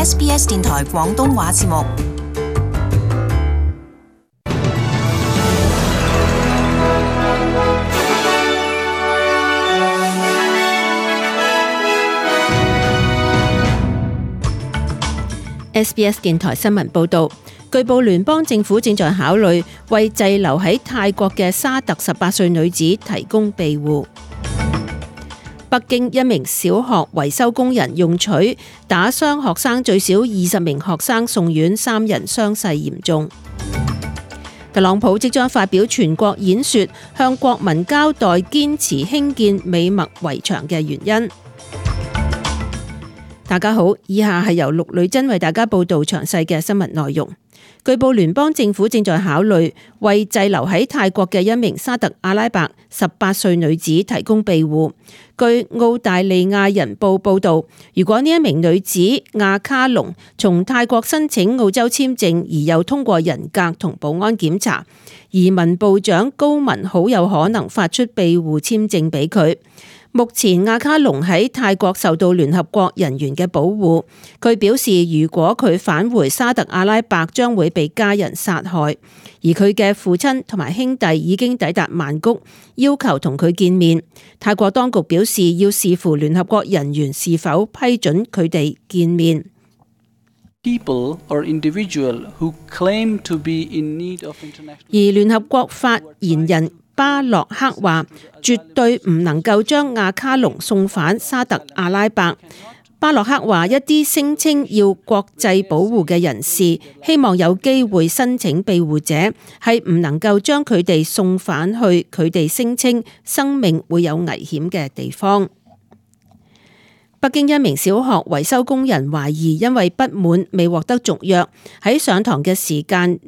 SBS 電台廣東話節目。SBS 電台新聞報導，據報聯邦政府正在考慮為滯留喺泰國嘅沙特18歲女子提供庇護。北京一名小學維修工人用錘打傷學生，最少20名學生送院，3人傷勢嚴重。特朗普即將發表全國演說，向國民交代堅持興建美墨圍牆嘅原因。大家好，以下係由陸女真為大家報道詳細嘅新聞內容。據報聯邦政府正在考慮為滯留喺泰國嘅一名沙特阿拉伯18歲女子提供庇護。據澳大利亞人報報道，如果呢一名女子亞卡龍從泰國申請澳洲簽證而又通過人格同保安檢查，移民部長高文好有可能發出庇護簽證俾佢。目前亞卡龍喺泰國受到聯合國人員嘅保護，佢表示如果佢返回沙特阿拉伯將會被家人殺害，而佢嘅父親同埋兄弟已經抵達曼谷，要求同佢見面。泰國當局表示要視乎聯合國人員是否批准佢哋見面。而聯合國發言人巴洛克話，絕對唔能夠將亞卡龍送返沙特阿拉伯。巴洛克話，一啲聲稱要國際保護嘅人士，希望有機會申請庇護者，係唔能夠將佢哋送返去佢哋聲稱生命會有危險嘅地方。北京一名小學維修工人懷疑因為不滿未獲得續約，喺上堂嘅時間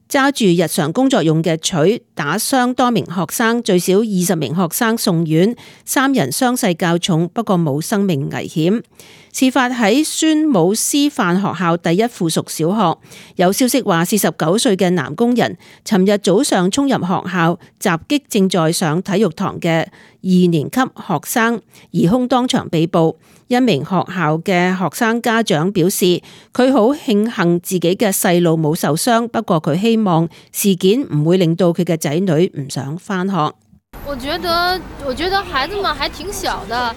揸住日常工作用嘅錘打傷多名學生，最少20名學生送院，3人傷勢較重，不過冇生命危險。事發喺宣武師範學校第一附屬小學，有消息話49歲嘅男工人尋日早上衝入學校襲擊正在上體育堂嘅2年級學生，疑兇當場被捕。一名學校嘅學生家長表示，佢好慶幸自己嘅細路冇受傷，不過佢希望事件唔會令到佢嘅仔女唔想返學。我覺得孩子們還挺小的。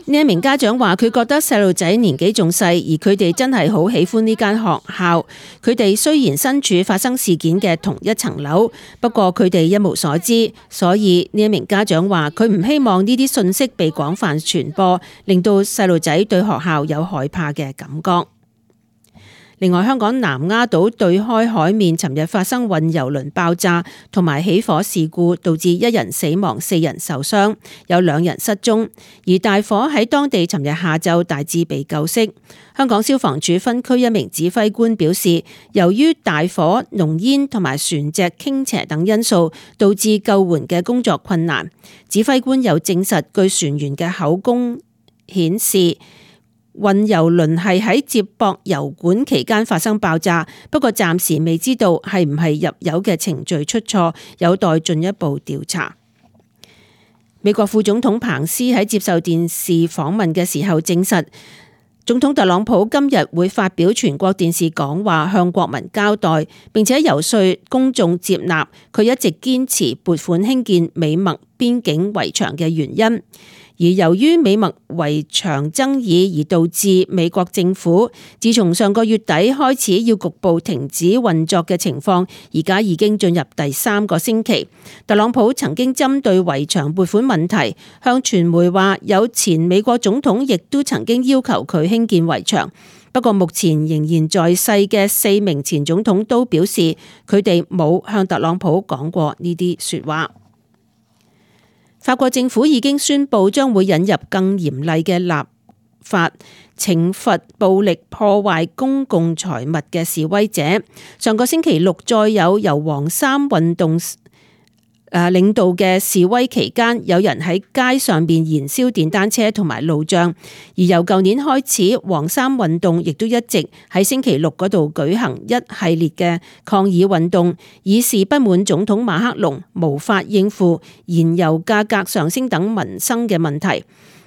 呢一名家長話，佢覺得細路仔年紀仲細，而佢哋真係好喜歡呢間學校。佢哋雖然身處發生事件嘅同一層樓，不過佢哋一無所知，所以呢一名家長話，佢唔希望呢啲信息被廣泛傳播，令到細路仔對學校有害怕嘅感覺。另外，香港南丫島對開海面尋日發生運油輪爆炸同埋起火事故，導致1人死亡，4人受傷，有2人失蹤。而大火喺當地尋日下晝大致被救熄。香港消防處分區一名指揮官表示，由於大火、濃煙同埋船隻傾斜等因素，導致救援嘅工作困難。指揮官又證實，據船員嘅口供顯示，運油輪係喺接駁油管期間發生爆炸，不過暫時未知道係唔係入油嘅程序出錯，有待進一步調查。美國副總統彭斯喺接受電視訪問嘅時候證實，總統特朗普今日會發表全國電視講話，向國民交代，並且游說公眾接納佢一直堅持撥款興建美墨邊境圍牆嘅原因。而由於美墨圍牆爭議而導致美國政府自從上個月底開始要局部停止運作嘅情況，而家已經進入第3個星期。特朗普曾經針對圍牆撥款問題向傳媒話，有前美國總統亦都曾經要求佢興建圍牆，不過目前仍然在世嘅4名前總統都表示佢哋冇向特朗普講過呢啲說話。法國政府已經宣布將會引入更嚴厲嘅立法，懲罰暴力破壞公共財物嘅示威者。上個星期六，再有由黃衫運動領導嘅示威期間，有人喺街上邊燃燒電單車同埋路障。而由舊年開始，黃衫運動亦都一直喺星期六嗰度舉行一系列嘅抗議運動，以示不滿總統馬克龍無法應付燃油價格上升等民生嘅問題。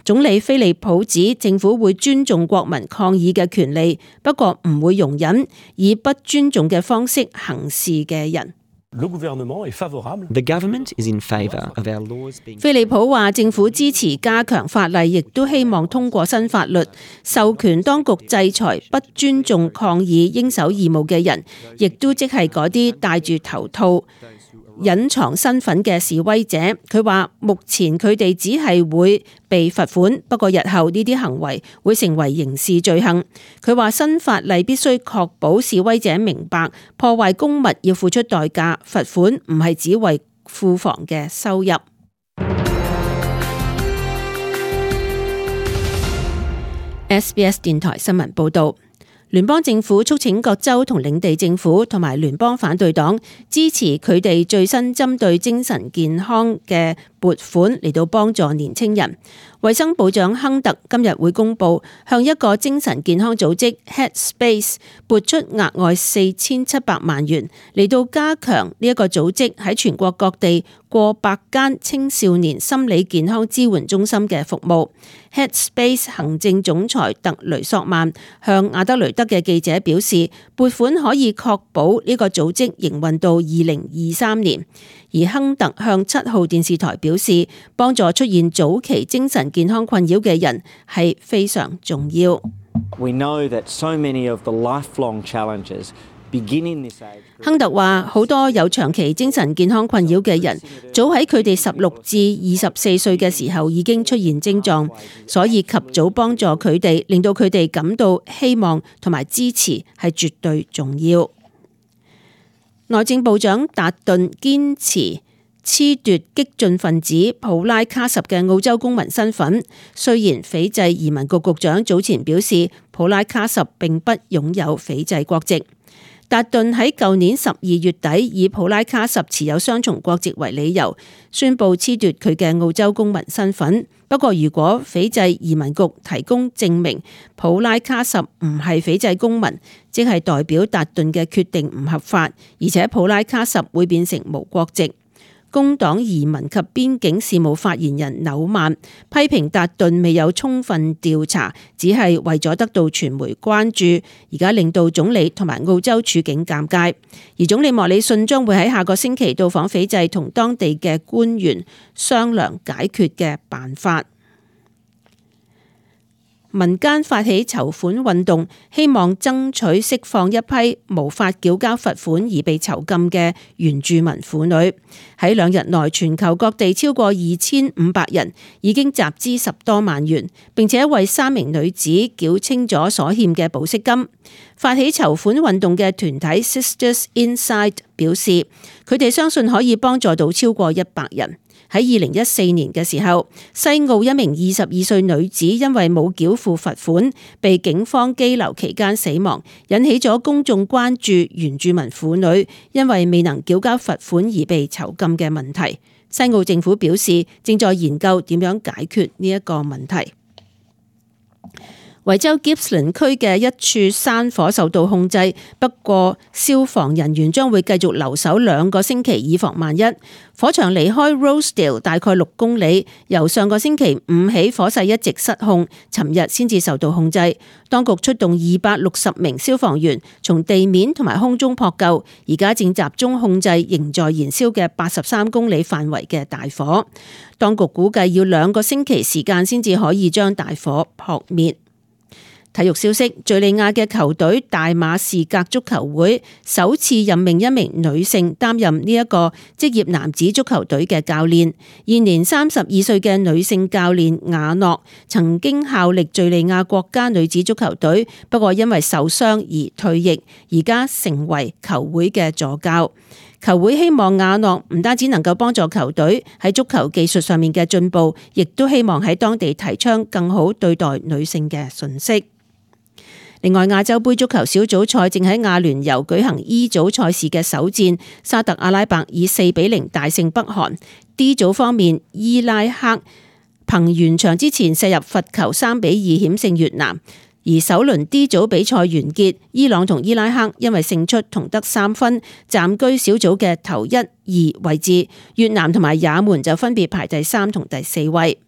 總理菲利普指政府會尊重國民抗議嘅權利，不過唔會容忍以不尊重嘅方式行事嘅人。The government is in favor of our laws being... 菲利普話政府支持加強法例，亦都希望通過新法律，授權當局制裁不尊重抗議應守義務嘅人，亦都即係嗰啲戴住頭套隱藏身份嘅示威者。佢話目前佢哋只係會被罰款，不過日後呢啲行為會成為刑事罪行。佢話新法例必須確保示威者明白破壞公物要付出代價，罰款唔係只為庫房嘅收入。SBS 電台新聞報導。聯邦政府促請各州同領地政府同埋聯邦反對黨支持佢哋最新針對精神健康嘅撥款嚟到幫助年輕人。衛生部長亨特今日會公布向一個精神健康組織 Headspace 撥出額外4700萬元嚟到加強呢一個組織喺全國各地過百間青少年心理健康支援中心嘅服務。Headspace 行政總裁特雷索曼向阿德雷德嘅記者表示，撥款可以確保呢個組織營運到2023年。而亨特向7號電視台表示，幫助出現早期精神健康困擾嘅人係非常重要。We know that so many of the lifelong challenges begin in this age. 亨特話：好多有長期精神健康困擾嘅人，早喺佢哋16至24歲嘅時候已經出現症狀，所以及早幫助佢哋，令到佢哋感到希望同埋支持係絕對重要。內政部長達頓堅持褫奪激進分子普拉卡什嘅澳洲公民身份，雖然斐濟移民局局長早前表示普拉卡什並不擁有斐濟國籍。達頓喺舊年12月底以普拉卡什持有雙重國籍為理由，宣布褫奪佢嘅澳洲公民身份。不過，如果斐濟移民局提供證明普拉卡什唔係斐濟公民，即係代表達頓嘅決定唔合法，而且普拉卡什會變成無國籍。工黨移民及邊境事務發言人紐曼批評達頓未有充分調查，只係為咗得到傳媒關注，而家令到總理同埋澳洲處境尷尬。而總理莫里遜將會喺下個星期到訪斐濟，同當地嘅官員商量解決嘅辦法。民間發起籌款運動，希望爭取釋放一批無法繳交罰款而被囚禁嘅原住民婦女。喺2日內，全球各地超過2500人已經集資10多萬元，並且為3名女子繳清咗所欠嘅保釋金。發起籌款運動嘅團體 Sisters Inside 表示，佢哋相信可以幫助到超過100人。喺2014年嘅時候，西澳一名22歲女子因為冇繳付罰款，被警方羈留期間死亡，引起咗公眾關注原住民婦女因為未能繳交罰款而被囚禁嘅問題。西澳政府表示正在研究點樣解決呢一個問題。維州 Gippsland 區嘅一處山火受到控制，不過消防人員將會繼續留守2個星期，以防萬一。火場離開 Rosedale 大概6公里，由上個星期5起火勢一直失控，尋日先至受到控制。當局出動260名消防員從地面同埋空中撲救，而家正集中控制仍在燃燒嘅83公里範圍嘅大火。當局估計要2個星期時間先至可以將大火撲滅。體育消息：敘利亞嘅球隊大馬士革足球會首次任命一名女性擔任呢一個職業男子足球隊嘅教練。現年32歲嘅女性教練雅諾曾經效力敘利亞國家女子足球隊，不過因為受傷而退役，而家成為球會嘅助教。球會希望雅諾唔單止能夠幫助球隊喺足球技術上面嘅進步，亦都希望喺當地提倡更好對待女性嘅信息。另外，亞洲盃足球小組賽正喺亞聯酋舉行 E 組賽事嘅首戰，沙特阿拉伯以4-0大勝北韓。D 組方面，伊拉克憑完場之前射入罰球3-2險勝越南。而首輪 D 組比賽完結，伊朗同伊拉克因為勝出同得3分，暫居小組嘅頭1、2位置。越南同埋也門就分別排第3同第4位。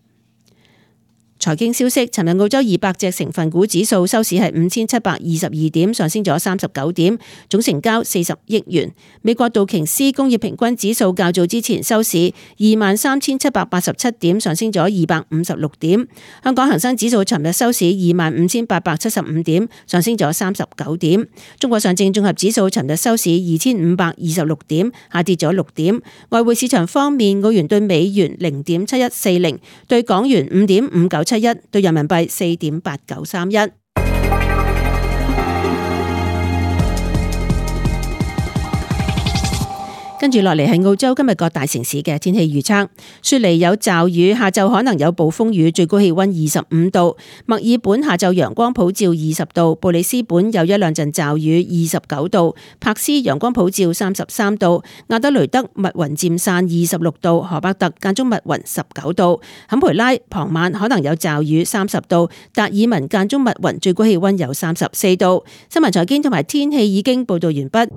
財經消息，尋日澳洲200隻成分股指數收市係5722點，上升咗39點，總成交40億元。美國道瓊斯工業平均指數較早之前收市23787點，上升咗256點。香港恒生指數尋日收市25875點，上升咗39點。中國上證綜合指數尋日收市2526點，下跌咗6點。外匯市場方面，澳元對美元0.7140，對港元5.597。對人民幣4.8931。跟住落嚟係澳洲今日各大城市嘅天氣預測。雪梨有驟雨，下晝可能有暴風雨，最高氣溫25度。墨爾本下晝陽光普照20度。布里斯本有一兩陣驟雨29度。柏斯陽光普照33度。亞德雷德密雲漸散26度。荷伯特間中密雲19度。坎培拉傍晚可能有驟雨30度。達爾文間中密雲，最高氣溫有34度。新聞財經同埋天氣已經報道完畢。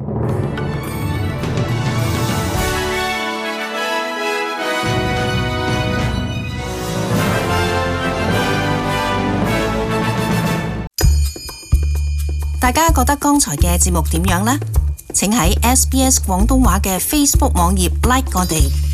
大家覺得剛才嘅節目點樣呢？請喺SBS 廣東話嘅 Facebook 網頁 like 我哋。